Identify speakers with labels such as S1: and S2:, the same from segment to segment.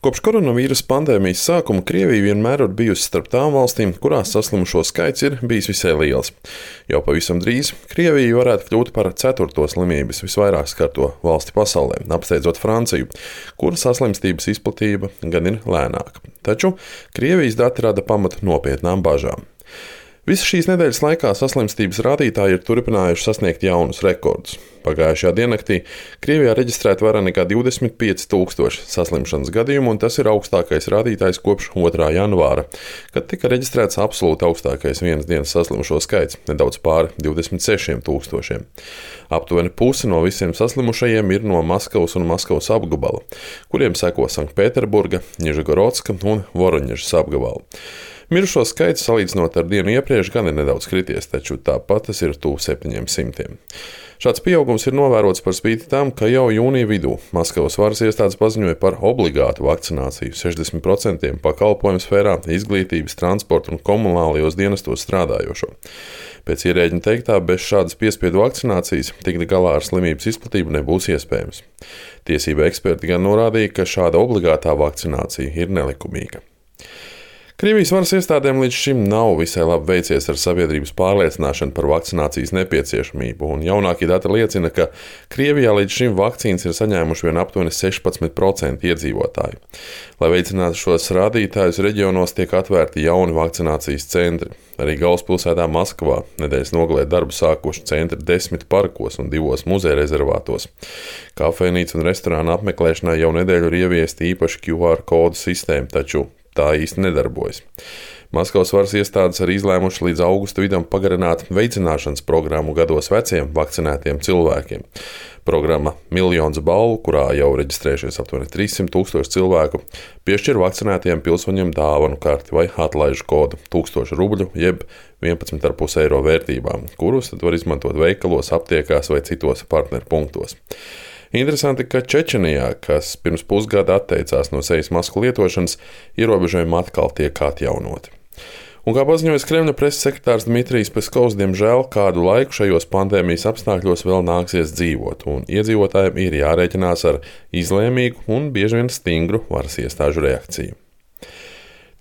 S1: Kopš koronavīrusa pandēmijas sākuma Krievija vienmēr ir bijusi starp tām valstīm, kurās saslimušo skaits ir bijis visai liels. Jau pavisam drīz Krievija varētu kļūt par 4. slimības visvairāk skarto valsti pasaulē, apsteidzot Franciju, kur saslimstības izplatība gan ir lēnāka. Taču Krievijas dati rada pamatu nopietnām bažām. Visas šīs nedēļas laikā saslimstības rādītāji ir turpinājuši sasniegt jaunus rekordus. Pagājušajā diennaktī Krievijā reģistrēta vairāk nekā 25,000 saslimšanas gadījumu, un tas ir augstākais rādītājs kopš 2. janvāra, kad tika reģistrēts absolūti augstākais vienas dienas saslimušo skaits - nedaudz pāri 26,000. Aptuveni pusi no visiem saslimušajiem ir no Maskavas un Maskavas apgabala, kuriem seko Sanktpēterburga, Nižegorodska un Voroņežas apgabala. Mirušo skaits salīdzinot ar dienu iepriekš gan ir nedaudz krities, taču tāpat tas ir tuvu 700. Šāds pieaugums ir novērots par spīti tam, ka jau jūnija vidū Maskavas varas iestādes paziņoja par obligātu vakcināciju 60% pakalpojumu sfērā, izglītības, transporta un komunālajos dienestos strādājošo. Pēc ierēģņa teiktā, bez šādas piespiedu vakcinācijas tikt galā ar slimības izplatību nebūs iespējams. Tiesība eksperti gan norādīja, ka šāda obligātā vakcinācija ir nelikumīga. Krievijas varas iestādēm līdz šim nav visai labi veicies ar sabiedrības pārliecināšanu par vakcinācijas nepieciešamību, un jaunākie dati liecina, ka Krievijā līdz šim vakcīnas ir saņēmuši vien aptuveni 16% iedzīvotāju. Lai veicinātu šos rādītājus, reģionos tiek atvērti jauni vakcinācijas centri. Arī galvaspilsētā Maskavā nedēļas nogalē darbu sākuši centri 10 parkos un 2 muzeja rezervātos. Kafejnīca un restorāna apmeklēšanai jau nedēļu ir ieviesta īpaša QR kodu sistēma, taču tā īsti nedarbojas. Maskavas varas iestādes arī izlēmuši līdz augusta vidum pagarināt veicināšanas programmu gados veciem vakcinētiem cilvēkiem. Programma Miljons balvu, kurā jau reģistrējušies aptuveni 300,000 cilvēku, piešķir vakcinētiem pilsoņiem dāvanu karti vai atlaižu kodu 1000 rubļu jeb 11,5 eiro vērtībām, kurus tad var izmantot veikalos, aptiekās vai citos partneru punktos. Interesanti, ka Čečenijā, kas pirms pusgada atteicās no sejas masku lietošanas, ierobežojumi atkal tiek atjaunoti. Un kā paziņoja Kremļa preses sekretārs Dmitrijs Peskovs, diemžēl kādu laiku šajos pandēmijas apstākļos vēl nāksies dzīvot, un iedzīvotājiem ir jārēķinās ar izlēmīgu un bieži vien stingru varas iestāžu reakciju.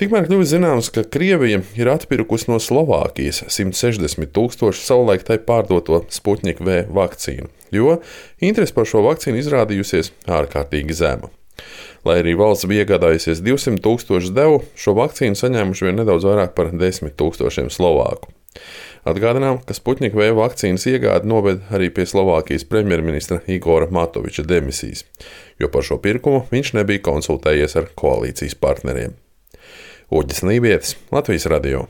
S1: Tikmēr kļuvis zināms, ka Krievija ir atpirkusi no Slovākijas 160,000 savulaik tai pārdoto Sputnik V vakcīnu, jo interese par šo vakcīnu izrādījusies ārkārtīgi zema. Lai arī valsts bija iegādājusies 200,000 devu, šo vakcīnu saņēmuši vien nedaudz vairāk par 10,000 Slovāku. Atgādinām, ka Sputnik V vakcīnas iegāde noved arī pie Slovākijas premjerministra Igora Matoviča demisijas, jo par šo pirkumu viņš nebija konsultējies ar koalīcijas partneriem. Uģis Nībietis, Latvijas radio.